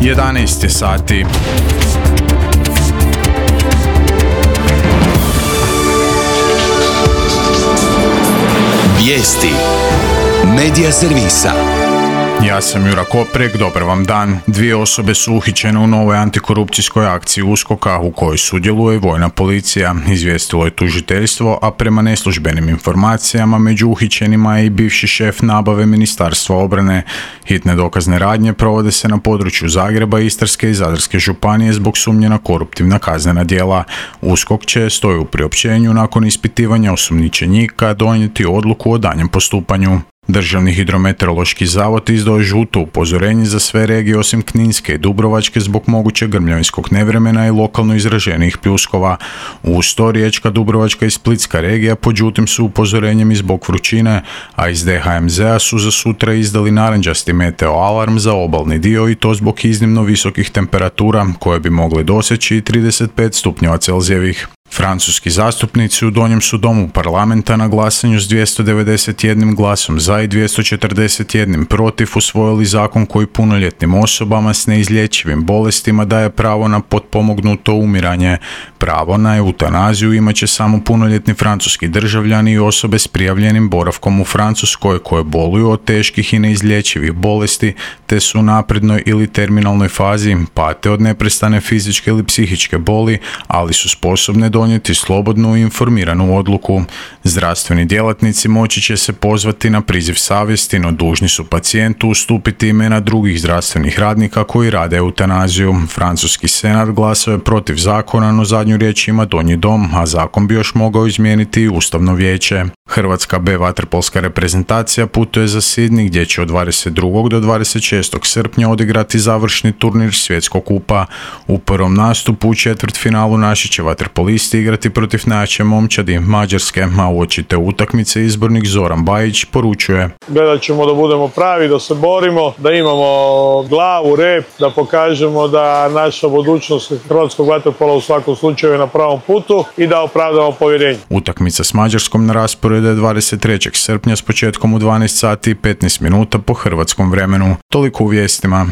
11 je sati. Vijesti Medija servisa. Ja sam Jura Koprek, dobar vam dan. 2 osobe su uhićene u novoj antikorupcijskoj akciji USKOK-a u kojoj sudjeluje vojna policija, izvijestilo je tužiteljstvo, a prema neslužbenim informacijama među uhićenima je i bivši šef nabave Ministarstva obrane. Hitne dokazne radnje provode se na području Zagreba, Istarske i Zadarske županije zbog sumnje na koruptivna kaznena djela. USKOK će, stoji u priopćenju, nakon ispitivanja osumnjičenika donijeti odluku o daljnjem postupanju. Državni hidrometeorološki zavod izdao je žuto upozorenje za sve regije osim Kninske i Dubrovačke zbog mogućeg grmljavinskog nevremena i lokalno izraženijih pljuskova. Uz to Riječka, Dubrovačka i Splitska regija pod žutim su upozorenjem i zbog vrućine, a iz DHMZ-a su za sutra izdali narančasti meteo alarm za obalni dio i to zbog iznimno visokih temperatura koje bi mogle doseći 35 stupnjeva Celzijevih. Francuski zastupnici u Donjem su domu parlamenta na glasanju s 291 glasom za i 241 protiv usvojili zakon koji punoljetnim osobama s neizlječivim bolestima daje pravo na potpomognuto umiranje. Pravo na eutanaziju imat će samo punoljetni francuski državljani i osobe s prijavljenim boravkom u Francuskoj koje boluju od teških i neizlječivih bolesti te su u naprednoj ili terminalnoj fazi, pate od neprestane fizičke ili psihičke boli, ali su sposobne donijeti slobodnu i informiranu odluku. Zdravstveni djelatnici moći će se pozvati na priziv savjesti, no dužni su pacijentu ustupiti imena drugih zdravstvenih radnika koji rade eutanaziju. Francuski senat glasao je protiv zakona, no zadnju riječ ima Donji dom, a zakon bi još mogao izmijeniti i Ustavno vijeće. Hrvatska B vaterpolska reprezentacija putuje za Sidney gdje će od 22. do 26. srpnja odigrati završni turnir Svjetskog kupa. U prvom nastupu u četvrtfinalu naši će vaterpolisti igrati protiv najjače momčadi Mađarske, a uoči te utakmice izbornik Zoran Bajić poručuje: Gledat ćemo da budemo pravi, da se borimo, da imamo glavu, rep, da pokažemo da naša budućnost hrvatskog vaterpola u svakom slučaju je na pravom putu i da opravdamo povjerenje. Utakmica s Mađarskom na rasporedu je 23. srpnja s početkom u 12 sati i 15 minuta po hrvatskom vremenu. Toliko u vijestima.